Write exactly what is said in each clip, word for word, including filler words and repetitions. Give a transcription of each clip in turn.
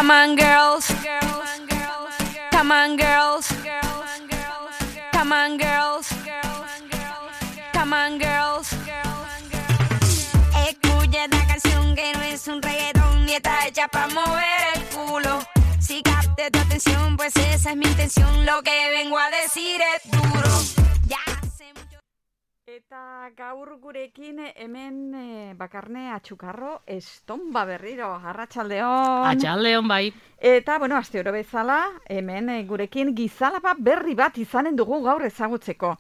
Come on, girls. Come on, girls. Come on, girls. Come on, girls. Escucha esta canción que no es un reggaetón ni está hecha para mover el culo. Si capte tu atención, pues esa es mi intención. Lo que vengo a decir es duro. Ya hace mucho. Eta gaur gurekin hemen e, bakarne atxukarro estonba berriro, arratsaldeon. Atxaldeon bai. Eta, bueno, aste oro bezala, hemen e, gurekin gizalapa berri bat izanen dugu gaur ezagutzeko.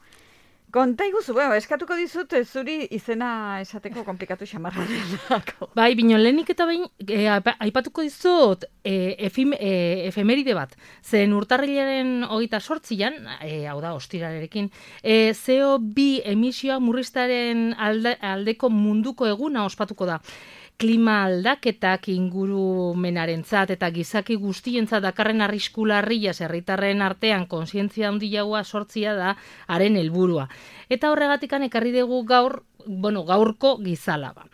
Konta iguzu, bueno, eskatuko dizut zuri izena esateko komplikatu xamarra delako. Bai, bino lehenik eta behin, e, aipatuko dizut e, efim, e, efemeride bat. Zen urtarrilaren hogeita sortzian, e, hau da, ostirarekin, e, C O bi emisioa murriztaren alde, aldeko munduko eguna ospatuko da. Klima aldaketak ingurumenarentzat eta gizaki guztientzat dakarren arrisku larria herritarren artean kontzientzia handiagoa sortzia da haren helburua. Eta horregatikan ekarri dugu gaur, bueno, gaurko gizalaba.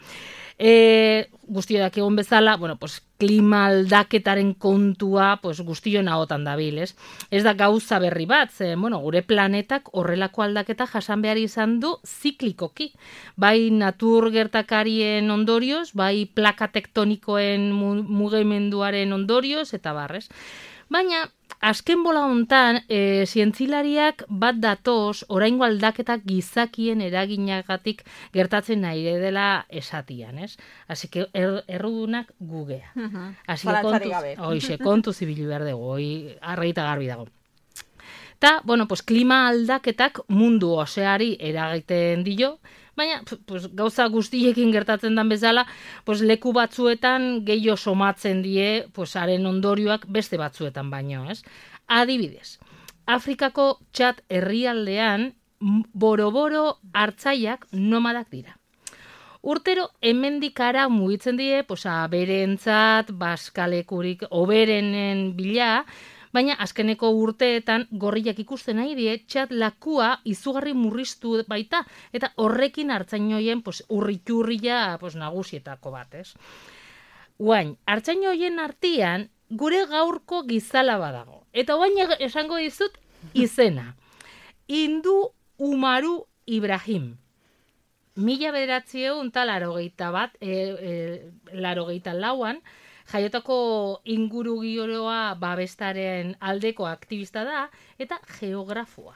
E, guztioak egon bezala, bueno, pues, klima aldaketaren kontua pues, guztion ahotan dabil, ez? Ez da gauza berri bat, ze, bueno, gure planetak horrelako aldaketa jasan behar izan du ziklikoki. Bai natur gertakarien ondorioz, bai plaka tektonikoen mugimenduaren ondorioz, eta barrez. Baina, azken bola hontan, e, zientzilariak bat datoz, oraingo aldaketak gizakien eraginagatik gertatzen nahi dela esatian, ez? Así que er, errudunak gugea. Uh-huh. Así que kontuz, oixe, kontuz ibili behar dugu, hoi argita garbi dago. Ta, bueno, pues, klima aldaketak mundu oseari eragiten dio, baina pues, gauza guztiekin gertatzen den bezala, pues, leku batzuetan gehiago somatzen die pues, haren ondorioak beste batzuetan baino, ez? Adibidez, Afrikako Txad herrialdean boro-boro hartzaiak nomadak dira. Urtero hemendik hara mugitzen die, pues, aberentzat, baskalekurik, oberenen bila, baina azkeneko urteetan gorriak ikusten nahi die, Txad lakua izugarri murriztu baita, eta horrekin hartzainoien pues, urriturria pues, nagusietako bat, ez? Guain, hartzainoien artean gure gaurko gizalaba dago. Eta guain esango dizut izena. Indu Umaru Ibrahim. Mila bederatziehun eta larogeita bat, e, e, larogeita lauan, jaiotako ingurugioa babestaren aldeko aktivista da eta geografoa.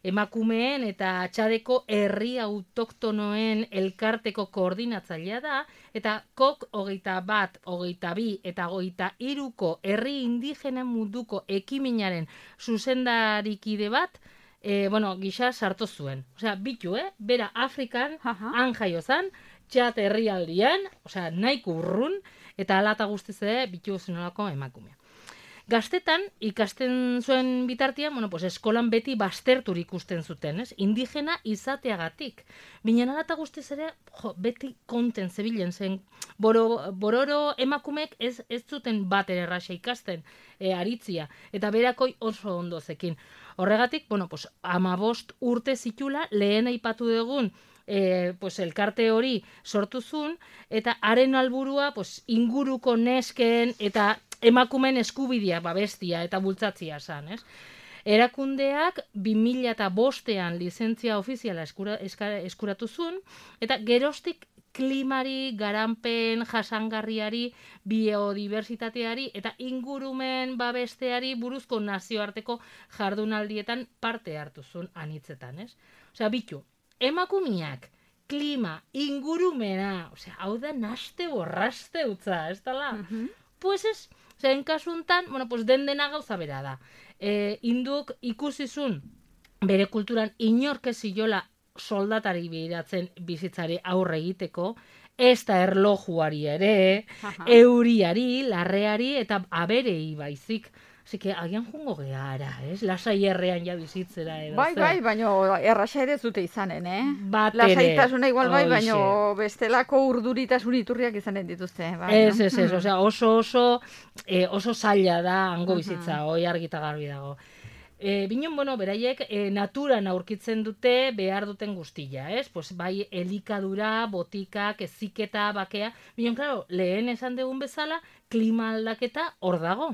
Emakumeen eta Txadeko herri autoktonoen elkarteko koordinatzailea da eta kok hogeita bat, hogeita bi eta hogeita hiruko herri indigenen munduko ekiminaren zuzendarikide bat e, bueno, gisa sartu zuen. Osea, bitu, eh? Bera Afrikan, han jaio zan, Txad herrialdian, osea, nahiko urrun, eta alata guztiz ere bitu zenolako emakumea. Gaztetan, ikasten zuen bitartian, bueno, pues, eskolan beti baztertur ikusten zuten, ez? Indigena izateagatik. Binen alata guztiz ere, jo, beti konten zebilen zen. Boro, bororo emakumek ez, ez zuten bat ere erraxa ikasten, e, aritzia, eta berakoi oso ondo zekin. Horregatik, bueno, pues, amabost urte zitula, lehen aipatu dugun, E, pues, elkarte hori sortu zuen, eta haren alburua pues, inguruko nesken eta emakumen eskubidea babestia eta bultzatzia zan, ez? Erakundeak bi mila bostean lizentzia ofiziala eskura, eskara, eskuratu zuen, eta geroztik klimari, garanpen, jasangarriari, biodiversitateari eta ingurumen babesteari buruzko nazioarteko jardunaldietan parte hartu zuen anitzetan, ez? Osea, bitu, emakumiak, klima, ingurumena, osea, hau da naste borraste utza, ez dala? Uh-huh. Pues ez, osea, enkasuntan, bueno, pues den dena gauza bera da. E, induk ikusizun bere kulturan inork ez ziola soldatari bideratzen bizitzari aurre egiteko, ez da erlojuari ere, uh-huh. euriari, larreari eta aberei baizik. Así que agian jungo gehala, ez? Lasai errean ja bizitzera edo. Bai, bai, baina erraxa ere zute izanen, eh? Bat ere. Lasaitasuna igual bai, baina bestelako urduritasun iturriak izanen dituzte. Bai, ez, ez, ez, osea, oso oso, eh, oso zaila da hango bizitza, uh-huh. hoi argita garbi dago. E, Binen, bueno, beraiek e, naturan aurkitzen dute behar duten guztia, ez? Pues, bai, elikadura, botikak, eziketa, bakea. Binen, klaro, lehen esan dugun bezala, klima aldaketa hor dago.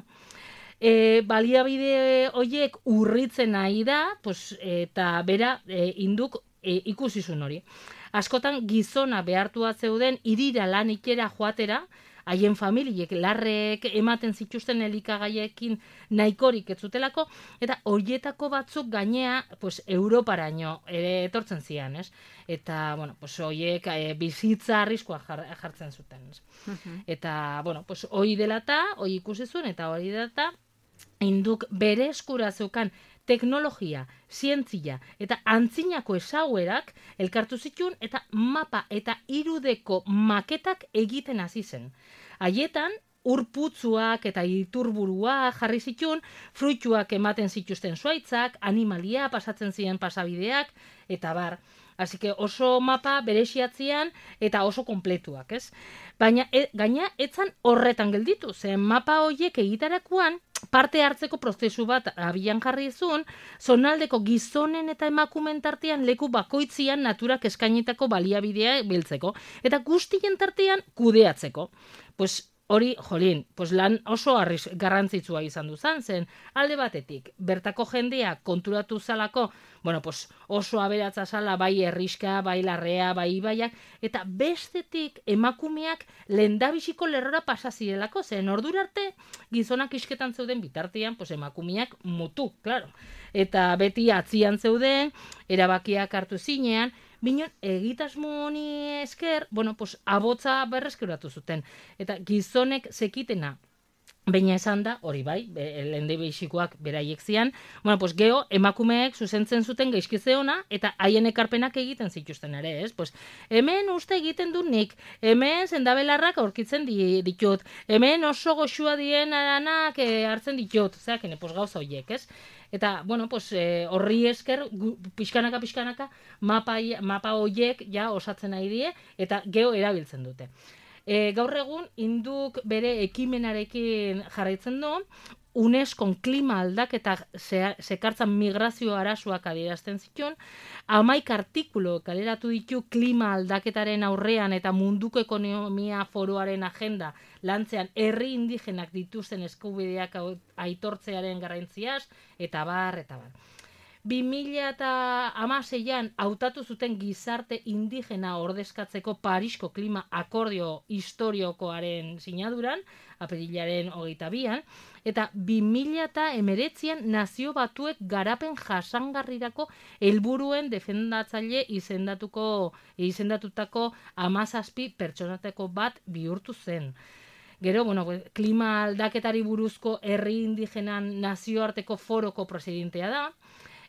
E, baliabide horiek urritzen nahi da, pues, eta bera e, induk e, ikusizun hori. Askotan gizona behartua zeuden irira lan ikera joatera, haien familiek larrek ematen zituzten elikagaiekin nahikorik ez zutelako, eta horietako batzuk gainea pues, Europaraino ere etortzen zian, ez? Eta, bueno, pues, horiek e, bizitza arriskoa jar, jartzen zuten, ez? Uh-huh. Eta, bueno, pues, hori dela eta, hori ikusi zuen, eta hori dela eta, induk bere eskura zeukan teknologia, zientzia eta antzinako ezaguerak elkartu zituen eta mapa eta irudeko maketak egiten hasi zen. Haietan, urputzuak eta iturburua jarri zituen, fruituak ematen zituzten zuaitzak, animalia pasatzen ziren pasabideak, eta bar. Así que oso mapa berexiatzean eta oso kompletuak, ez? Baina e, gaina etzan horretan gelditu, zen mapa horiek egitarakoan parte hartzeko prozesu bat abian jarri zuen, zonaldeko gizonen eta emakumen tartean leku bakoitzian naturak eskainitako baliabidea biltzeko, eta guztien tartean kudeatzeko. Pues hori, jolin, pues lan oso arriz, garrantzitsua izan duzan zen, alde batetik, bertako jendea konturatu zalako, bueno, pues oso aberatza zala, bai herriska, bai larrea, bai ibaiak, eta bestetik emakumeak lehendabiziko lerrora pasazirelako, zen ordura arte gizonak isketan zeuden bitartean, pues emakumeak mutu, claro. Eta beti atzian zeuden, erabakiak hartu zinean, Binen, egitasmo honi esker, bueno, pues, abotza berreskuratu zuten. Eta gizonek zekitena, baina esan da, hori bai, lende behixikoak beraiek zian, bueno, pues, geho, emakumeek zuzentzen zuten gaizkize ona, eta haien ekarpenak egiten zituzten ere, ez? Pues, hemen uste egiten du nik, hemen zendabelarrak aurkitzen ditut, hemen oso goxua dien aranak e, hartzen ditut, zeak, pues, gauza horiek, ez? Eta, bueno, pues, eh, horri esker, pixkanaka, pixkanaka, mapa, mapa horiek ja osatzen nahi die, eta geho erabiltzen dute. E, gaur egun, induk bere ekimenarekin jarraitzen du, UNESCOn klima aldaketa sekartzan migrazio arazoak adierazten zituen, hamaika artikulu kaleratu ditu klima aldaketaren aurrean eta munduko ekonomia foroaren agenda lantzean herri indigenak dituzten eskubideak aitortzearen garrantziaz, eta bar, eta bar. bi mila hamaseian hautatu zuten gizarte indigena ordezkatzeko Parisko klima akordio historiokoaren sinaduran, apirilaren hogeita bian, eta bi mila hemeretzian nazio batuek garapen jasangarrirako helburuen defendatzaile izendatuko izendatutako hamazazpi pertsonateko bat bihurtu zen. Gero, bueno, klima aldaketari buruzko herri indigenan nazioarteko foroko presidentea da,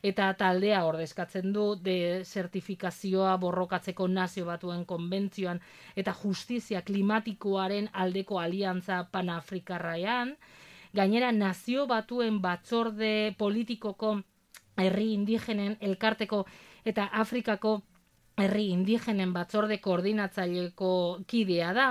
eta taldea ordezkatzen du desertifikazioa borrokatzeko nazio batuen konbentzioan eta justizia klimatikoaren aldeko aliantza panafrikarraian. Gainera, nazio batuen batzorde politikoko herri indigenen elkarteko eta Afrikako herri indigenen batzorde koordinatzaileko kidea da.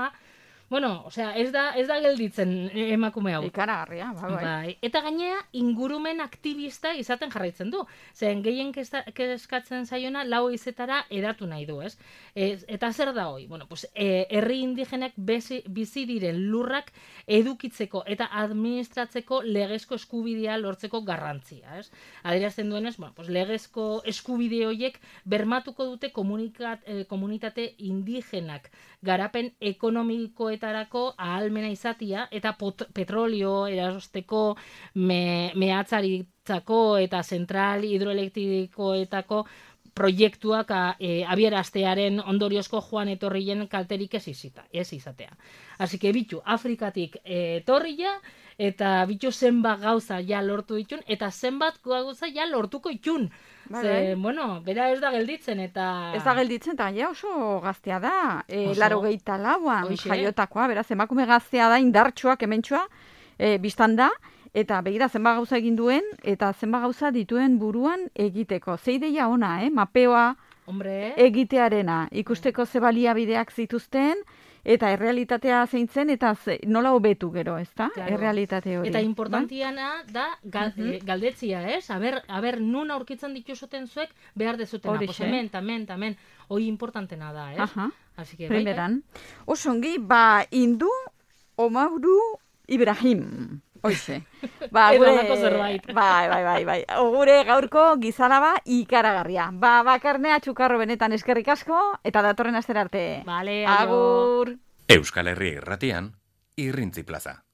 Bueno, osea, ez da, ez da gelditzen emakume hau. Ikaragarria, bai, bai. Bai. Eta gainea, ingurumen aktivista izaten jarraitzen du. Zen, gehien keskatzen zaiona, lau izetara edatu nahi du, ez? ez eta zer da hoi? Bueno, pues, e, herri indigenak bezi, bizi diren lurrak edukitzeko eta administratzeko legezko eskubidea lortzeko garrantzia, ez? Adierazten duenez, bueno, pues, legezko eskubide horiek bermatuko dute komunikat, eh, komunitate indigenak garapen ekonomiko tarako ahalmena izatia eta pot, petrolio erosteko me, mehatzaritzako eta zentral hidroelektrikoetako proiektuak e, abiaraztearen ondoriozko joan etorrien kalterik ez, izita, ez izatea. Así que bitu, Afrikatik etorria eta bitu zenbat gauza ja lortu ditun eta zenbat gauza ja lortuko itun. Ze, bueno, bera ez da gelditzen eta... Ez da gelditzen eta ja oso gaztea da. E, laro gehieta lauan jaiotakoa, beraz, emakume gaztea da, indartxoak hementxoa, e, biztan da, eta begira zenba gauza egin duen, eta zenba gauza dituen buruan egiteko. Ze ideia ona, eh? Mapeoa Hombre. egitearena, ikusteko ze baliabideak zituzten, eta errealitatea zeintzen, eta ze, nola hobetu gero, ezta? Claro. Errealitate hori. Eta importantiana da gal, Mhm. eh, galdetzia, ez? Aber, aber nun aurkitzen dituzuten zuek behar dezutena. Pues Horixe. hemen, tamen, tamen. Hoi importantena da, ez? Aha. Así que, bai, bai. Primeran. Osongi, ba, Indu Omauru Ibrahim. Hoize. Ba, Edo gure, halako zerbait. bai, bai, bai, bai. Gure gaurko gizalaba ikaragarria. Ba, bakarnea txukarro benetan eskerrik asko, eta datorren astera arte. Vale, aio. Agur. Euskal Herria irratian, Irrintzi Plaza.